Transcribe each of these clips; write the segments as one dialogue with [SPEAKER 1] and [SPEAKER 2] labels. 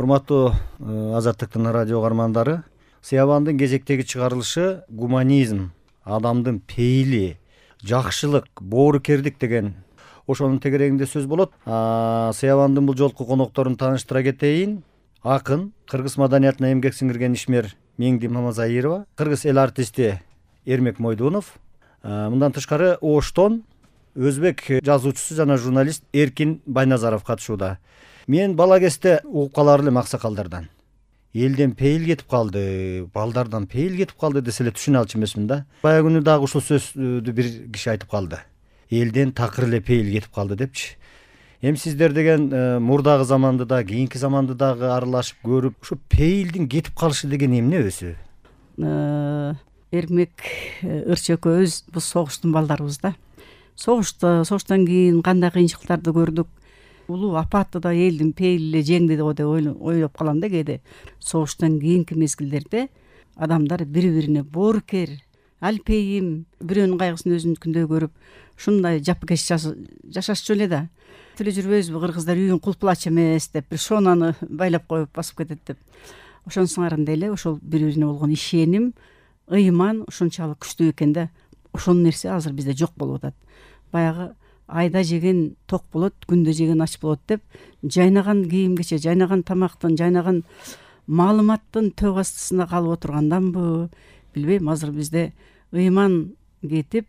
[SPEAKER 1] Урматтуу Азаттыктын радио каармандары, Сыябандын кезектеги чыгарылышы гуманизм, адамдын пейили, жакшылык, боорукердик деген ошонун тегерегинде сөз болот. Сыябандын бул жолку конокторун тааныштыра кетейин. Акын, кыргыз маданиятына эмгек сиңирген ишмер Меңди Мамазайырова, кыргыз эл артисти Эрмек Мойдунов, мындан тышкары Оштон өзбек жазуучусу жана журналист Эркин Байназаров катышууда. Мен бала кезде угуп калар элем аксакалдардан. Элден пейил кетип калды, балдардан пейил кетип калды десе эле түшүнө алчу эмесмин да. Баягы күнү дагы ушул сөздү бир киши айтып калды. Элден такыр эле пейил кетип калды депчи. Эми сиздер деген мурдагы заманды да, кийинки заманды дагы аралашып көрүп, ушу пейилдин кетип калышы деген эмне өзү?
[SPEAKER 2] Эрмек Ырчы экөөбүз бул согуштун балдарыбыз да. Согуштан кийин кандай кыйынчылыктарды көрдүк. Улуу апатты да элдин пейили жеңди го деп ойлоп калам да кээде. Согуштан кийинки мезгилдерде адамдар бири-бирине боорукер, алпейим, бирөөнүн кайгысын өзүнүкүндөй көрүп, ушундай жапкеч жашашчу эле да. Тиле жүрбөйбүзбү, кыргыздар үйүн кулпулач эмес деп, бир шонаны байлап коюп басып кетет деп. Ошонун сыңарында эле ошол бири-бирине болгон ишеним, ыйман ушунчалык күчтүү экен да. Ошол нерсе азыр бизде жок болуп атат. Баягы айда жеген ток болот, күндө жеген ач болот деп, жайнаган кийим-кече, жайнаган тамактын, жайнаган маалыматтын төк астысында калып отурганданбы, билбейм, азыр бизде ыйман кетип,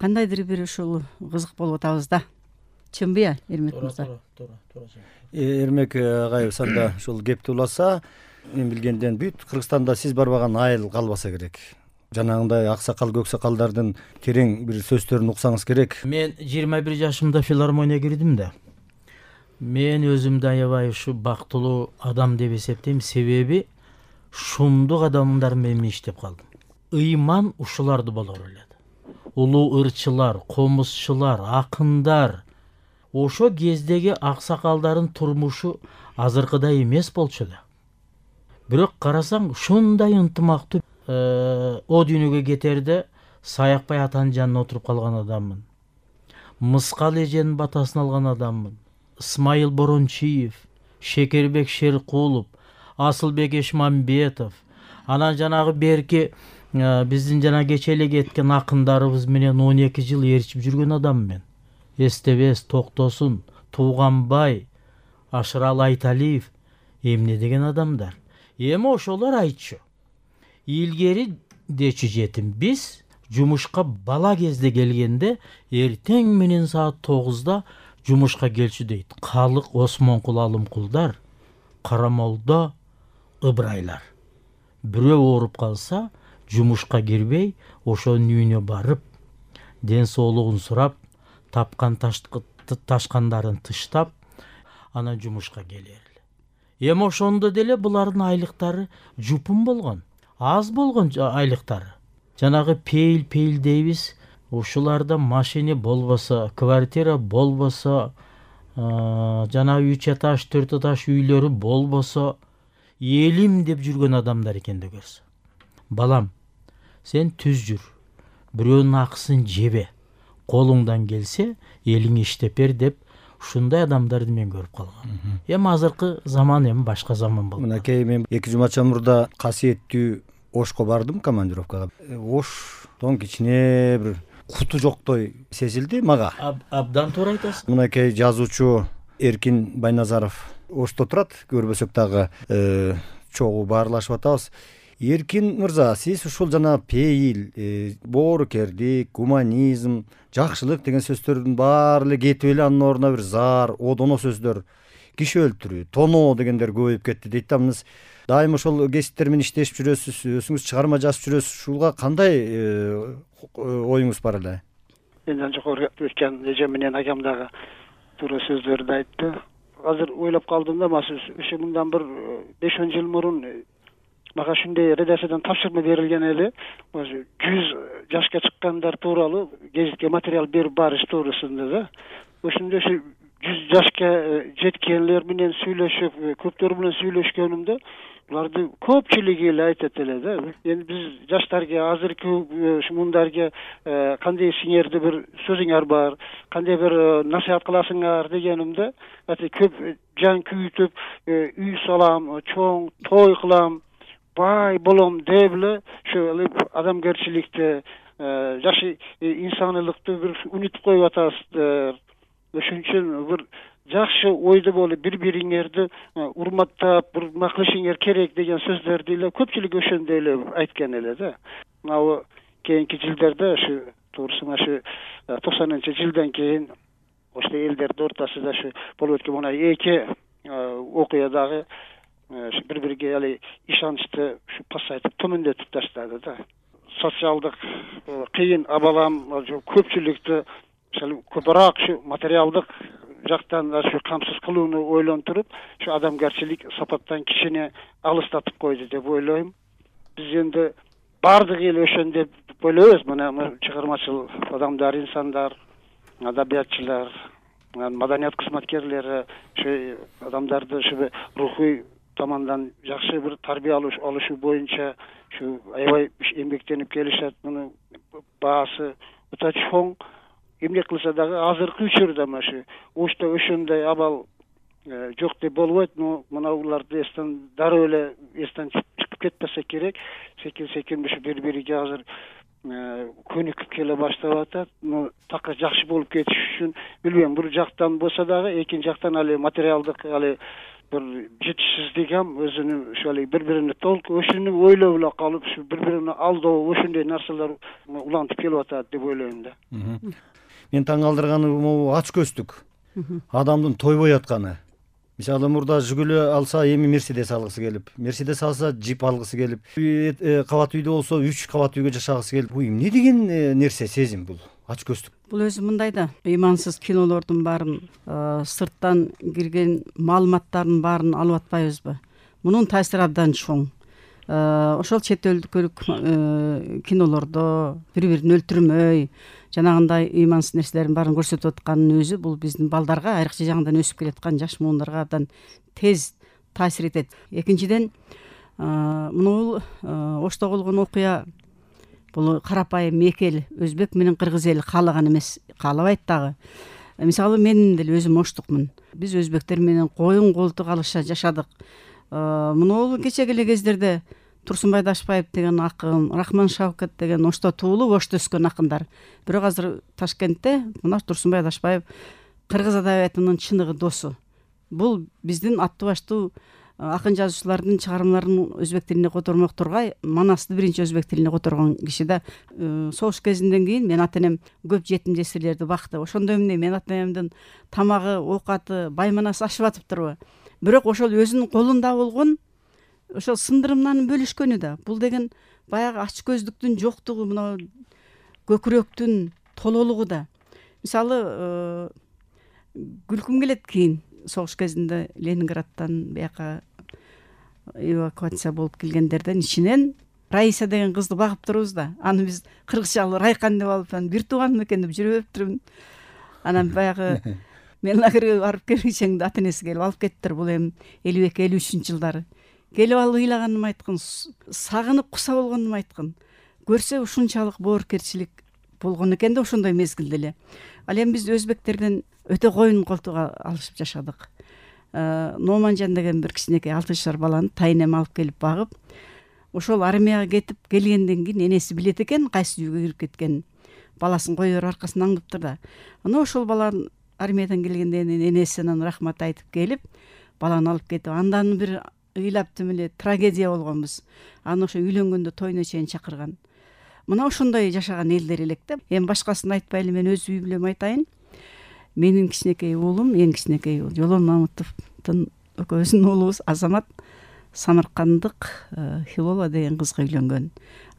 [SPEAKER 2] кандайдыр бир ушул кызык болуп атабыз да. Чынбы, Эрмек мырза?
[SPEAKER 3] Туура.
[SPEAKER 1] Эрмек агайыбыз анда ушул кепти уласа, мен билгенден бүт Кыргызстанда сиз барбаган айыл калбаса керек. Жанагындай аксакал көксакалдардын терең бир сөздөрүн уксаңыз керек.
[SPEAKER 3] Мен 21 жашымда филармонияга кирдим да. Мен өзүмдү аябай ушу бактылуу адам деп эсептейм, себеби шумдук адамдар менен иштеп калдым. Ыйман ушуларды болор элет. Улуу ырчылар, комузчулар, акындар. Ошо кездеги аксакалдардын турмушу азыркыдай эмес болчу да. Бирок карасаң ушундай ынтымактуу о дүйнөгө кетерде Саякбай атанын жанына отуруп калган адаммын. Мыскал эженин батасын алган адаммын. Исмайыл Борончиев, Шекербек Шеркулов, Асылбек Эшмамбетов, анан жанагы берки биздин жана кече эле кеткен акындарыбыз менен 12 жыл ээрчип жүргөн адам мен. Эстебес Токтосун, Тууганбай, Ашырал Айталиев эмне деген адамдар. Эми ошолор айтчу. Илгери дечи жетим биз жумушка бала кезде келгенде эртең менен саат 9-да жумушка келчү дейт. Калык Осмонкул Алымкулдар, Карамолдо Ыбырайлар. Бирөө ооруп калса, жумушка кирбей, ошонун үйүнө барып, ден соолугун сурап, тапкан ташкандарын тыштап, анан жумушка келер эле. Эми ошондо деле булардын айлыктары жупун болгон. Аз болгон айлыктары. Жанагы пейил дейбиз, ушуларда машина болбосо, квартира болбосо, жана 3 этаж, 4 этаж үйлөрү болбосо, элим деп жүргөн адамдар экенди көрсө. Балам, сен түз жүр, бирөөнүн акысын жебе, колуңдан келсе, элиңе иштеп бер деп, ушундай адамдарды мен көрүп калгам. Эми азыркы заман эми башка заман болду.
[SPEAKER 1] Мынакей мен 2 жумача мурда касиеттүү Ошко бардым командировкага. Оштон кичине бир куту жоктой сезилди мага.
[SPEAKER 3] Абдан туура айтасың.
[SPEAKER 1] Мынакей жазуучу Эркин Байназаров Ошто турат, көрбөсөк дагы чогуу баарлашып атабыз. Эркин мырза, сиз ушул жана пейил, боорукердик, гуманизм, жакшылык деген сөздөрдүн баары эле кетип эле анын ордуна бир заар, одоно сөздөр, киши өлтүрүү, тоноо дегендер көбөйүп кетти дейт да. Мына дайым ошол кесиптер менен иштешип жүрөсүз, өзүңүз чыгарма жазып жүрөсүз. Ушуга кандай оюңуз бар эле?
[SPEAKER 4] Менден жогору өткөн эжем менен агам дагы туура сөздөрдү айтты. Азыр ойлоп калдым да, ошо мындан бир 5-10 жыл мурун мага ушундай редакциядан тапшырма берилген эле. 100 жашка чыккандар тууралуу гезитке материал берип барыш туурасында да. Ошондо 100 жашка жеткенлер менен сүйлөшүп, көптөр менен сүйлөшкөнүмдө буларды көпчүлүгү эле айтат эле да. Эми биз жаштарга азыркы мундарга кандай сиңерди бир сөзүңөр бар, кандай бир насаат кыласыңар дегенимде, көп жан күйүтүп, үй салам, чоң той кылам, бай болом деп эле ошо адамгерчиликти, жашы инсанийлыкты бир унутуп коюп атасыздар. Ошон үчүн бир жакшы ойдо болуп, бири-бириңерди урматтап, урмат кылышыңар керек деген сөздөрдү эле көпчүлүк ошондой эле айткан эле да. Мына кийинки жылдарда ушу туурусун ушу 90-жылдан кийин ошо элдердин ортосунда ушу болуп өткөн мына эки окуя дагы бири-бириге али ишеничти ушу пасайтып төмөндөтүп таштады да. Социалдык кыйын абалам көпчүлүктү көбүрөөк ушу материалдык жактан ушу камсыз кылууну ойлонтуруп, ушу адамгерчилик сапаттан кишини алыстатып койду деп ойлойм. Биз энди баардыгы эле ошондой деп ойлойбуз. Мына чыгармачыл адамдар, инсандар, адабиятчылар, маданият кызматкерлери ушу адамдарды ушу рухий тамандан жакшы бир тарбия алышы боюнча ушу аябай эмгектенип келишет. Муну баасы өтө чоң. Эмгек кылса дагы азыркы учурда ушу ошто ошондой абал жок деп болбойт. Но мына буларды эстен дароо эле эстен чыгып кетпесе керек. Секин ушу бири-бириге азыр көнүкүп келе баштап атат. Но такыр жакшы болуп кетиш үчүн билбейм, бир жактан болсо дагы экинчи жактан али материалдык али бир жетишсиздик ham өзүнүн ушу бири-бирине толку ошону ойлоп эле калып, ушу бири-бирине алдоо ошондой нерселер улантып келип атат деп ойлойм да.
[SPEAKER 1] Мен таң калтырганы могу ач көздүк адамдын тойбой атканы. Мисалы мурда Жигуле алса эми Мерседес алгысы келип, Мерседес алса джип алгысы келип, кабат үйдө болсо 3 кабат үйгө жашагысы келип. Бул эмне деген нерсе, сезим бул? Ач көздүк.
[SPEAKER 2] Бул өзү мындай да, ыймансыз кинолордун баарын, сырттан кирген маалыматтардын баарын алып атпайбызбы? Мунун таасири абдан чоң. Ошол чет өлкөлүк кинолордо бири-бирин өлтүрмөй, жанагындай ыймансыз нерселердин баарын көрсөтүп атканын өзү бул биздин балдарга, айрыкча жаңыдан өсүп келаткан жаш муундарга абдан тез таасир этет. Экинчиден, муну Ошто болгон окуя бул карапайым эки эл, өзбек менен кыргыз эли каалаган эмес, каалабайт дагы. Мисалы мен деле өзүм оштукмун. Биз өзбектер менен коюн колтук алыша жашадык. Муну кечеги эле кездерде Турсунбай Дашбаев деген акын, Рахман Шавкат деген Ошто туулуп, Ошто өскөн акындар. Бирок азыр Ташкентте мына Турсунбай Дашбаев кыргыз адабиятынын чыныгы досу. Бул биздин аттуу баштуу акын жазуучулардын чыгармаларын өзбек тилине котормок тургай, Манасты биринчи өзбек тилине которгон киши да. Согуш кезинден кийин мен ата-энем көп жетим жесирлерди бакты. Ошондо эмне мен ата-энемдин тамагы, оокаты, байманасы ашып атыптырбы? Бирок ошол өзүнүн колунда болгон ошол сындырымнан бөлүшкөнү да. Бул деген баягы ач көздүктүн жоктугу, мына көкүрөктүн тололугу да. Мисалы, күлкүм келет кийин согуш кезинде Ленинградтан бияка эвакуация болуп келгендерден ичинен Раиса деген кызды багып турбуз да. Аны биз кыргызча Райкан деп алып, бир тууганым экен деп жүрүптүрмүн. Анан баягы мен лагерге барып келгичеңде ата-энеси келип алып кеттир. Бул эми 52-53 жылдары. Келип алып ыйлаганым айткан, сагынып куса болгонум айткан. Көрсө ушунчалык боорукерчилик болгон экен да ошондой мезгилде эле. Ал эми биз өзбектерден өтө коюн колтук алышып жашадык. Номанжан деген бир кичинекей 6 жашар баланы тайнем алып келип багып, ошол армияга кетип келгенден кийин энеси билет экен кайсы үйгө кирип кеткенин. Баласын кое берип аркасынан аңдыптыр да. Ана ошол баланы армиядан келгенден кийин энесинен рахмат айтып келип, баланы алып кетип, андан бир ыйлаптым эле трагедия болгонбуз. Аны ошо үйлөнгөндө тойуна чейин чакырган. Мына ошондой жашаган элдер элек да. Эми башкасын айтпайлы, мен өз үй бүлөм айтайын. Менин кичинекей уулум, эң кичинекей уулум Жолон Мамытовдун экөөбүздүн уулубуз Азамат Самаркандык Хилола деген кызга үйлөнгөн.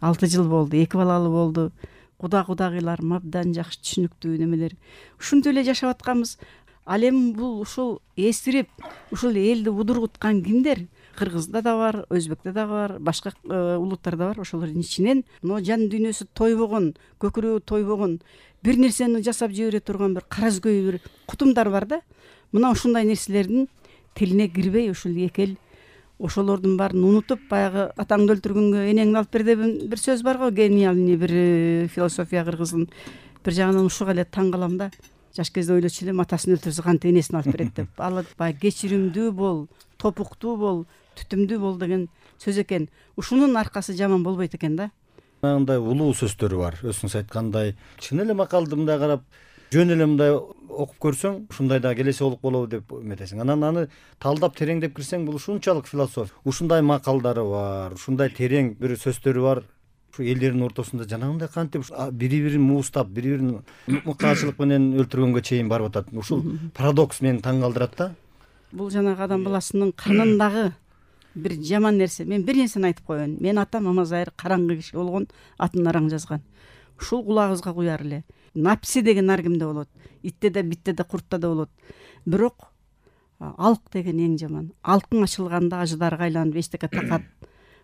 [SPEAKER 2] 6 жыл болду, 2 балалы болду. Кудагыйларым абдан жакшы түшүнүктүү немелер. Ушунтип эле жашап атканбыз. Ал эми бул ушул эстирип, ушул элди удургуткан кимдер? Кыргызда да бар, өзбекте да бар, башка улуттарда бар. Ошолордун ичинен но жан дүйнөсү тойбогон, көкүрөгү тойбогон, бир нерсени жасап жибере турган бир каразгөй бир кутумдар бар да. мына ушундай нерселердин тилине кирбей ушул эки эл ошолордун баарын унутуп, баягы атаңды өлтүргөнгө энеңди алып бер деген бир сөз бар го, гениальный бир философия кыргыздын. Бир жагынан ушуга эле таң калам да. Жаш кезде ойлочу элем, атасын өлтүрсө кантип энесин алып берет деп. Ал баягы кечиримдүү бол, топуктуу бол, түтүмдүү бол деген сөз экен. Ушунун аркасы жаман болбойт экен да.
[SPEAKER 1] Мындай улуу сөздөрү бар. Өзүңүз айткандай, чын эле макалды мындай карап, жөн эле мындай окуп көрсөң, ушундай да келеси болуп болобу деп эметесиң. Анан аны талдап тереңдеп кирсең, бул ушунчалык философ. Ушундай макалдары бар, ушундай терең бир сөздөрү бар. Ушу элдердин ортосунда жанагындай кантип бири-бирин муустап, бири-бирин мыкаачылык менен өлтүргөнгө чейин барып атат. Ушул парадокс мени таң калтырат да.
[SPEAKER 2] Бул жанагы адам баласынын канындагы бир жаман нерсе. Мен бир нерсени айтып коеюн. Мен атам Мамазайыр караңгы киши болгон, атын араң жазган. Ушул кулагыбызга куяр эле. Напси деген ар кимде болот. Итте да, битте да, куртта да болот. Бирок алк деген эң жаман. Алкың ачылганда ажыдарга айланып эчтеке такат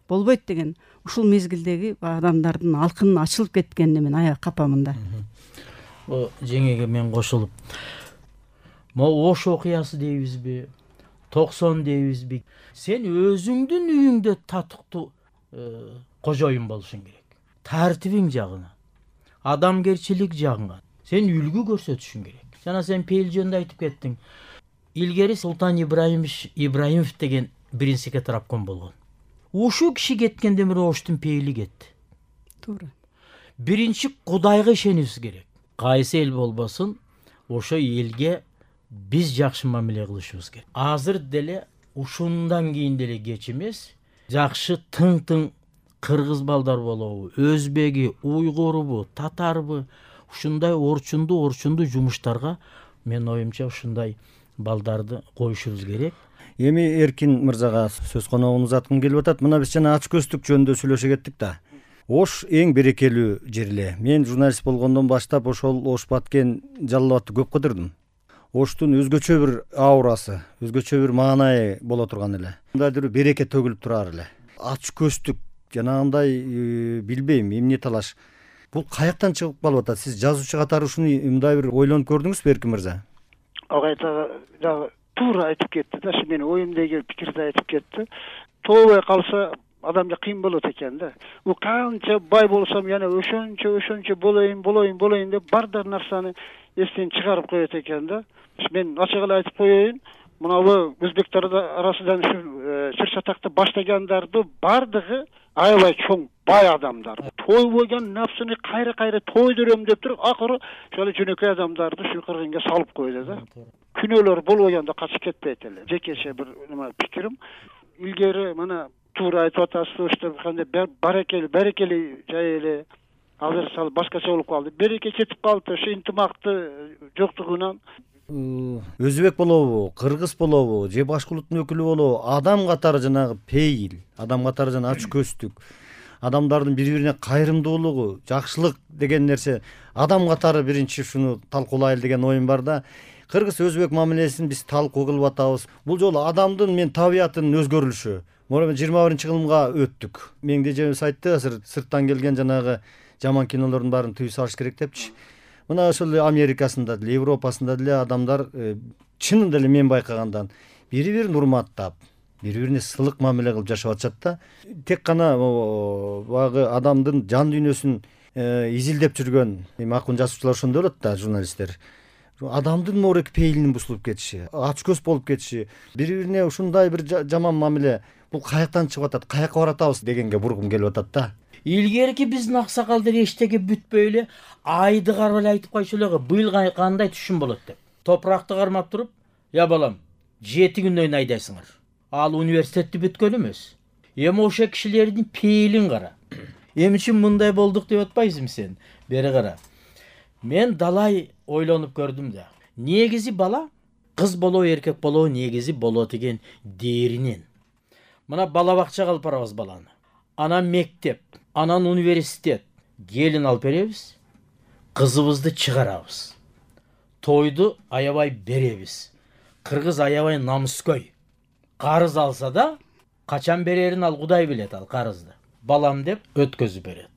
[SPEAKER 2] болбойт деген. Ушул мезгилдеги адамдардын алкынын ачылып кеткенине мен аябай капамын да.
[SPEAKER 3] Жеңеге мен кошулуп, могу Ош окуясы дейбизби, 90 дейбизби? Сен өзүңдүн үйүңдө татыктуу кожоюн болушуң керек. Тартибиң жагына, адамгерчилик жагына сен үлгү көрсөтүшүң керек. Жана сен пейил жөнүндө айтып кеттиң. Илгери Султан Ибраимов деген биринчи кетарапком болгон. Ушу киши кеткенден бери Оштун пейили кетти.
[SPEAKER 2] Туура.
[SPEAKER 3] Биринчи Кудайга ишенибиз керек. Кайсы эл болбосун, ошо элге биз жакшы мамиле кылышыбыз керек. Азыр деле ушундан кийин деле кеч эмес. Жакшы тың кыргыз балдар болобу, өзбеги, уйгурбу, татарбы, ушундай орчунду жумуштарга мен оюмча ушундай балдарды коюшубуз керек.
[SPEAKER 1] Эми Эркин мырзага сөз коногун узаткым келип атат. Мына биз жана ач көздүк жөнүндө сүйлөшө кеттик да. Ош эң берекелүү жер эле. Мен журналист болгондон баштап ошол Ош Баткен Жалал Абадты көп кыдырдым. Оштун өзгөчө бир аурасы, өзгөчө бир маанайы боло турган эле. Мындайдыр береке төгүлүп турар эле. Ач көздүк жанагындай билбейм, эмне талаш. Бул каяктан чыгып калып атат? Сиз жазуучу катары ушуну мындай бир ойлонуп көрдүңүзбү, Эркин мырза?
[SPEAKER 4] Агайта дагы туура айтып кетти да, менин оюмдагы пикирди айтып кетти. Тообой калса адамга кыйын болот экен да. Бул канча бай болсом яна ошончо болоюн деп бардыр нарсаны эстен чыгарып коет экен да. Мен ачык эле айтып коеюн, мына өзбектер арасынан сыр сатакты баштагандарды бардыгы аябай чоң бай адамдар. Тойбойган нафсыны кайра тойдурам деп туруп, акыры ошол жөнөкөй адамдарды ушу кыргынга салып койду да. Күнөөлөр болбогондо качып кетпейт эле. Жекеше бир пикирим. Илгери мына туура айтып атасыз, ошто кандай барекели жай эле. Азыр сал башкача болуп калды. Береке кетип калды, ошо интимакты жоктугунан.
[SPEAKER 1] Өзбек болобу, кыргыз болобу, же башка улуттун өкүлү болобу, адам катары жанагы пейил, адам катары жана ач көздүк, адамдардын бири-бирине кайрымдуулугу, жакшылык деген нерсе, адам катары биринчи ушуну талкуулайлы деген оюм бар да. Кыргыз өзбек мамилесин биз талкуу кылып атабыз. Бул жолу адамдын мен табиятынын өзгөрүлүшү. Мына 21-кылымга өттүк. Меңде жебес айтты, сырттан келген жанагы жаман кинолордун баарын түйүп салыш керек депчи. Мына ошол Америкасында деле, Европасында деле адамдар чынында эле мен байкагандан бири-бирин урматтап, бири-бирине сылык мамиле кылып жашап атышат да. Тек гана баягы адамдын жан дүйнөсүн изилдеп жүргөн акын жазуучулар ошондой болот да, журналисттер. Адамдын морек пейилинин бузулуп кетиши, ач көз болуп кетиши, бири-бирине ушундай бир жаман мамиле, бул каяктан чыгып атат, каяка баратабыз дегенге бургум келип атат да.
[SPEAKER 3] Илгерки биздин аксакалдар эчтеке бүтпөй эле айды карап эле айтып койчу эле, быйыл кандай түшүм болот деп. Топуракты кармап туруп, "Я балам, 7 күндөн айдайсыңар." Ал университетти бүткөн эмес. Эми ошо кишилердин пейилин кара. Эми үчүн мындай болдук деп атпайсыңбы сен? Бери кара. Мен далай ойлонуп көрдүм да. Негизи бала кыз болобу, эркек болобу, негизи болот экен дээринен. Мына бала бакчага алып барабыз баланы. Анан мектеп, анан университет. Келин алып беребиз. Кызыбызды чыгарабыз. Тойду аябай беребиз. Кыргыз аябай намыскөй. Карыз алса да, качан берерин ал Кудай билет, ал карызды. Балам деп өткөзүп берет.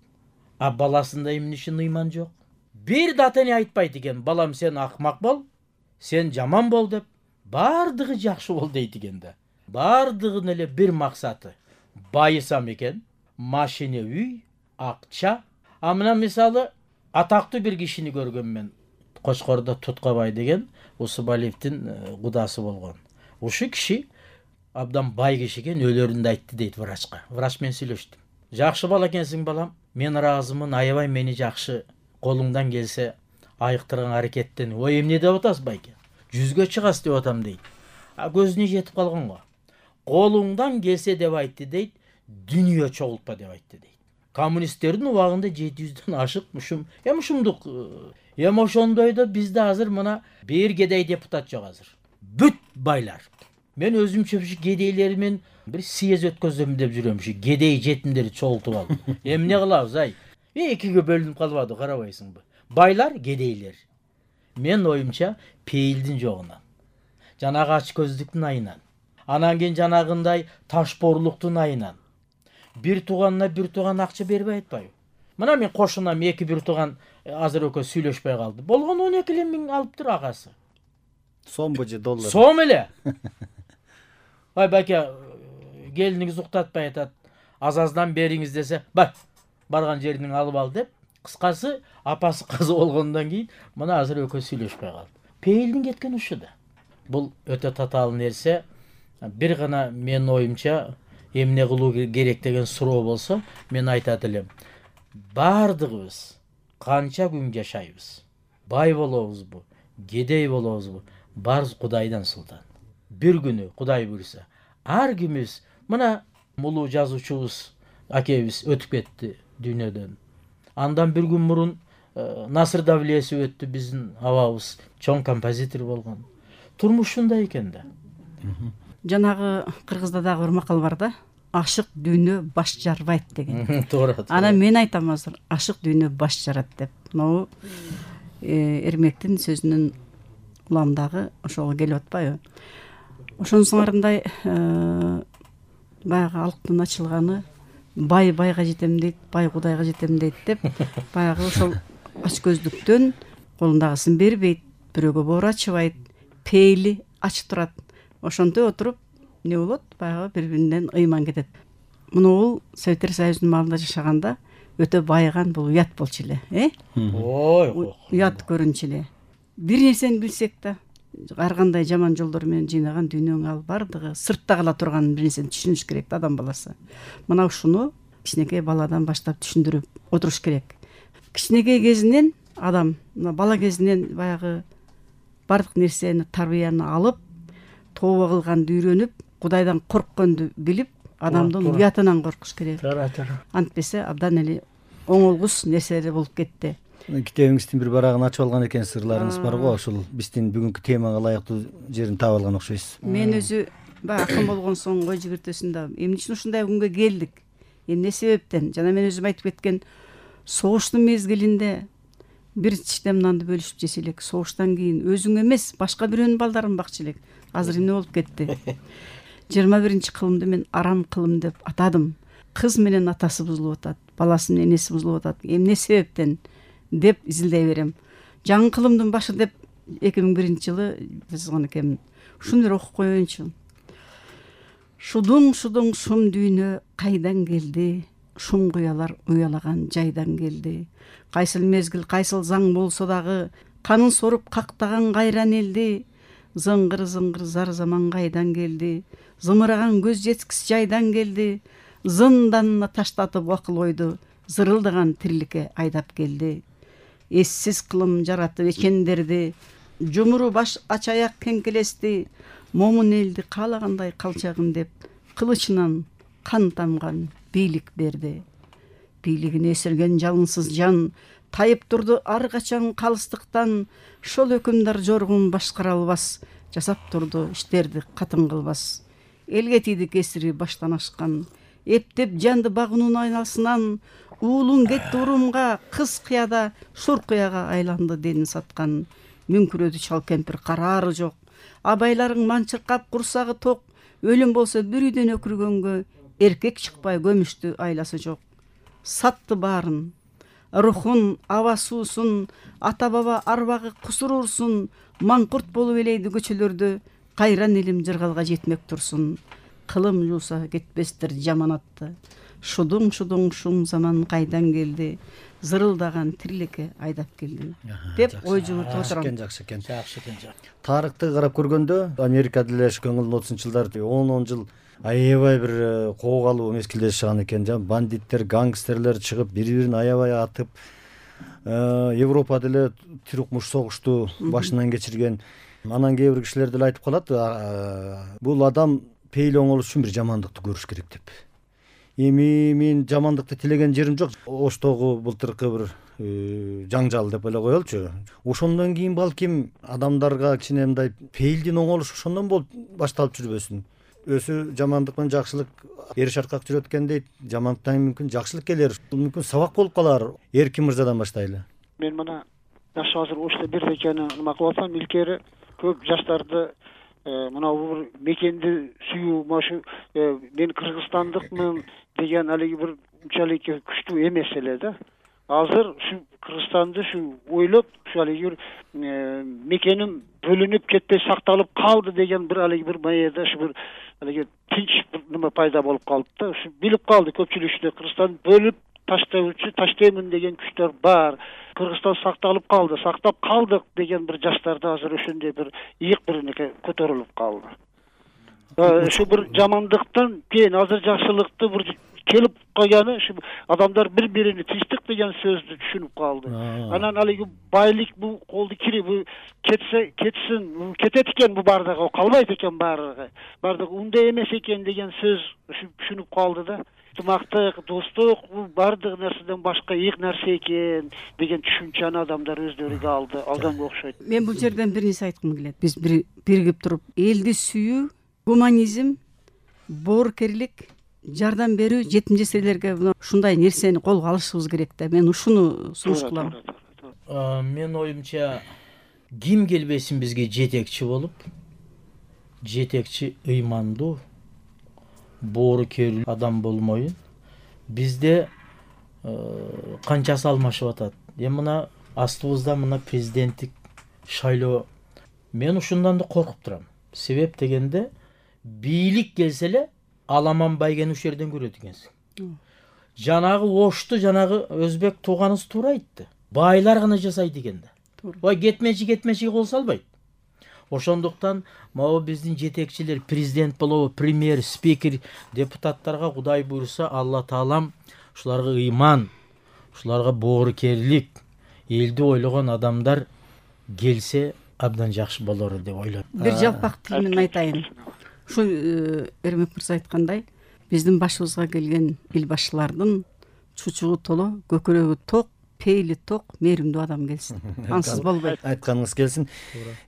[SPEAKER 3] А баласында эмне үчүн ыйман жок? Бир дата не айтпайт экен, балам сен акмак бол, сен жаман бол деп. баардыгы жакшы болду дейт экен да. Баардыгынын эле бир максаты байысам экен, машина, үй, акча. А мына мисалы атактуу бир кишини көргөм мен. Кочкордо Туткабай деген Усубалиевдин кудасы болгон. Ушу киши абдан бай киши экен, өлөрүндө айтты дейт врачка. Врач менен сүйлөштүм. Жакшы бала экенсиң балам, мен ыраазымын, аябай мени жакшы, колуңдан келсе айыктырган аракеттен. Ой, эмне деп атасыз байке? 100гө чыгасыз деп атам дейт. А көзүнө жетип калган го. Колуңдан келсе деп айтты дейт, дүнүйө чогултпа деп айтты дейт. Коммунисттердин убагында 700дөн ашык ушум, ушумдук. Ошондой да бизде азыр мына бир кедей депутат жок азыр. Бүт байлар. Мен өзүмчө кедейлермен бир съезд өткөзөм деп жүрөм. Кедей жетимдерди чогултуп алып. Эмне кылабыз ай? Экиге бөлүнүп калбады, карабайсыңбы? Байлар, кедейлер. Мен оюмча пейилдин жогунан, жанагы ач көздүктүн айынан, анан кийин жанагындай ташпоорлуктун айынан бир тууганына бир тууган акча бербей атпайбы? Мына мен кошунам, эки бир тууган азыр экөө сүйлөшпөй калды. Болгон 12 миң алыптыр агасы.
[SPEAKER 1] Сомбу же доллар?
[SPEAKER 3] Сом эле. Ай байке, келиниңиз уктатпай атат. Аз-аздан бериңиз десе, барган жериңен алып ал деп. Кыскасы, апасы казы болгондон кийин мына азыр экөө сүйлөшпөй калды. Пейилдин кеткен ушу да. Бул өтө татаал нерсе. Бир гана мен оюмча эмне кылуу керек деген суроо болсо, мен айтат элем. Бардыгыбыз канча күн жашайбыз? Бай болобузбу, кедей болобузбу? Барыбыз Кудайдан султан. Бир күнү Кудай буйрса, ар кимибиз, мына мулуу жазуучубуз акебиз өтүп кетти дүйнөдөн. Андан бир күн мурун Насыр Давлиесов өттү, биздин абабыз, чоң композитор болгон. Турмуш ушундай экен да.
[SPEAKER 2] Жанагы кыргызда дагы бир макал бар да. Ашык дүйнө баш жарбайт деген.
[SPEAKER 3] Туура.
[SPEAKER 2] Ана мен айтам азыр, ашык дүйнө баш жарат деп. Могу Эрмектин сөзүнүн уламдагы ошого келип атпайбы? Ошонусуңарындай баягы алыктын ачылганы, бай байга жетем дейт, бай Кудайга жетем дейт деп, баягы ошол ач көздүктөн колундагысын бербейт, бирөөгө боор ачыбайт, пейили ачып турат. Ошонтой отуруп эмне болот? Баягы бири-биринен ыйман кетет. Муну Советтер Союзунун маалында жашаганда өтө байыган, бул уят болчу эле,
[SPEAKER 3] Ой,
[SPEAKER 2] уят көрүнчү эле. Бир нерсени билсек да, ар кандай жаман жолдор менен жыйнаган дүйнөнүн ал бардыгы сыртта кала турган бир нерсени түшүнүш керек да адам баласы. Мына ушуну кичинекей баладан баштап түшүндүрүп отуруш керек. Кичинекей кезинен адам, бала кезинен баягы бардык нерсени, тарбияны алып, тооба кылганды үйрөнүп, Кудайдан коркконду билип, адамдын уятынан коркуш керек. Антпесе абдан эле оңолгус нерселер болуп кетти.
[SPEAKER 1] Китебиңиздин бир барагын ачып алган экен, сырларыңыз бар го, ошол биздин бүгүнкү темага ылайыктуу жерин таап алган окшойсуз.
[SPEAKER 2] Мен өзү акын болгон соң ой жигиртесинде эмне үчүн ушундай күнгө келдик? Эмне себептен? Жана мен өзүм айтып кеткен согуштун мезгилинде бир чиштем нанды бөлүшүп жесе элек, согуштан кийин өзүң эмес, башка бирөөнүн балдарын бакчы элек. Азыр эмне болуп кетти? 21-кылымды мен арам кылым деп атадым. Кыз менен атасы бузулуп атат, баласы менен энеси бузулуп атат. Эмне себептен деп изилдей берем. Жаңы кылымдын башы деп 2001-жылы жазган экенмин. Ушуну бир окуп коеюнчу. Шудуң шум дүйнө кайдан келди? Шум куялар уялаган жайдан келди. Кайсыл мезгил, кайсыл заң болсо дагы, канын соруп кактаган кайран элди. Зыңгыр зар заман кайдан келди? Зымыраган көз жеткис жайдан келди. Зынданына таштатып акыл ойду, зырылдаган тириликке айдап келди. Эссиз кылым жаратып эчендерди, жумуру баш ач аяк кеңкелести. Момун элди каалагандай калчагын деп, кылычынан кан тамган бийлик берди. Бийлигине эсерген жалынсыз жан тайып турду ар качан калыстыктан. Шол өкүмдар жоргун башкара албас, жасап турду иштерди катын кылбас. Элге тийди кесири баштан ашкан, эптеп жанды багуунун айналасынан. Уулун кетти урумга, кыз кыяда шур кыяга айланды денин саткан. Мүңкүрөдү чал кемпир, караары жок. Абайларың манчыркап курсагы ток. Өлүм болсо бир үйдөн өкүргөнгө, эркек чыкпай көмүштү айласы жок. Сатты баарын, рухун, аба суусун, ата баба арбагы кусур урсун. Маңкурт болуп элейди көчөлөрдө, кайран элим жыргалга жетмек турсун, кылым жууса кетпестир жаманатты. Шудуң шуң заман кайдан келди, зырылдаган тирилекке айдап келдим деп ой жүгүртүп отурам.
[SPEAKER 1] Жакшы экен.
[SPEAKER 3] Жакшы экен.
[SPEAKER 1] Тарыхты карап көргөндө Америкада эле 1930 жылдары 10 жыл аябай бир коого алуу мезгилде жашаган экен. Бандиттер, гангстерлер чыгып бири-бирин аябай атып, Европада эле тирик муш согушту башынан кечирген. Анан кээ бир кишилер деле айтып калат, бул адам пейили оңолуш үчүн бир жамандыкты көрүш керек деп. Эми мен жамандыкты тилеген жерим жок. Оштогу былтыркы бир жаңжал деп эле коелучу. Ошондон кийин балким адамдарга кичине мындай пейилдин оңолушу ошондон болуп башталып жүрбөсүн. Өзү жамандык менен жакшылык эри шаркак жүрөт экен дейт. Жамандыктан мүмкүн жакшылык келер. Бул мүмкүн сабак болуп калар. Эркин мырзадан баштайлы.
[SPEAKER 4] Мен мына жаш азыр ошто бир экени нема кылып атсам, илгери көп жаштарды мына бул мекенди сүйүү, машу мен кыргызстандыкмын деген алиги бир унчалык күчтүү эмес эле да. Азыр ушу Кыргызстанды ушу ойлоп, ушу алиги бир мекеним бөлүнүп кетпей сакталып калды деген бир алиги бир маеда ушу бир алиги тинч бир нема пайда болуп калды да. Ушу билип калды көпчүлүк ичинде Кыргызстанды бөлүп таштайм деген күчтөр бар. Кыргызстан сакталып калды, сактап калдык деген бир жаштарда азыр ошондой бир ийик биринеке көтөрүлүп калды. Ушу бир жамандыктан кийин азыр жакшылыкты бир келип калганы, ушу адамдар бири-бирини тинчтик деген сөздү түшүнүп калды. Анан алиги байлык бул колду кири, бул кетсин, кетет экен бул бардыгы, калбайт экен бардыгы. Бардыгы ундай эмес экен деген сөз ушу түшүнүп калды да. Ынтымактык, достук бул бардык нерседен башка ийик нерсе экен деген түшүнчөнү адамдар өздөрүгө алганга окшойт.
[SPEAKER 2] Мен бул жерден бир нерсе айткым келет. Биз биригип туруп элди сүйүү, гуманизм, боорукерлик, жардам берүү жетим жесирлерге ушундай нерсени колго алышыбыз керек да. Мен ушуну сунуш кылам.
[SPEAKER 3] Мен оюмча ким келбесин бизге жетекчи болуп, жетекчи ыймандуу, боорукер адам болмойун. Бизде канчасы алмашып атат. Эми мына астыбызда мына президенттик шайлоо. Мен ушундан да коркуп турам. Себеп дегенде бийлик келсе эле Аламан Байгени ушул жерден көрөт экенсиң. Жанагы Ошту жанагы өзбек тууганыбыз туура айтты. Байлар гана жасайт экен да. Ой кетмечи кол салбайт. Ошондуктан могу биздин жетекчилер, президент болобу, премьер, спикер, депутаттарга Кудай буйруса, Алла Таалам ушуларга ыйман, ушуларга боорукерлик, элди ойлогон адамдар келсе абдан жакшы болор деп ойлойм.
[SPEAKER 2] Бир жалпак тил менен айтайын. Ушу Эрмек мырза айткандай, биздин башыбызга келген эл башчылардын чучугу толо, көкүрөгү ток, пейили ток, мээримдүү адам келсин. Ансыз болбойт.
[SPEAKER 1] Айтканыңыз келсин.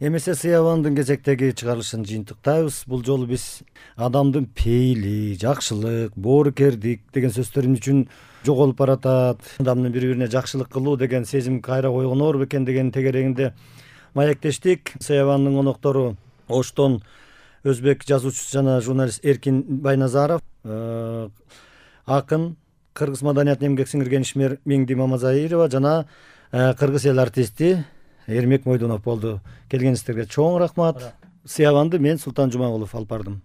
[SPEAKER 1] Эмесе Сыябандын кезектеги чыгарылышын жыйынтыктайбыз. Бул жолу биз адамдын пейили, жакшылык, боорукердик деген сөздөрүн үчүн жоголуп баратат. Адамдын бири-бирине жакшылык кылуу деген сезим кайра ойгонор бекен деген тегерегинде маектештик. Сыябандын коноктору Оштон өзбек жазуучусу жана журналист Эркин Байназаров, акын, кыргыз маданиятына эмгек сиңирген ишмер Меңди Мамазаирова жана кыргыз эл артисти Эрмек Мойдунов болду. Келгениңиздерге чоң рахмат. Сыябанды мен Султан Жумагулов алып бардым.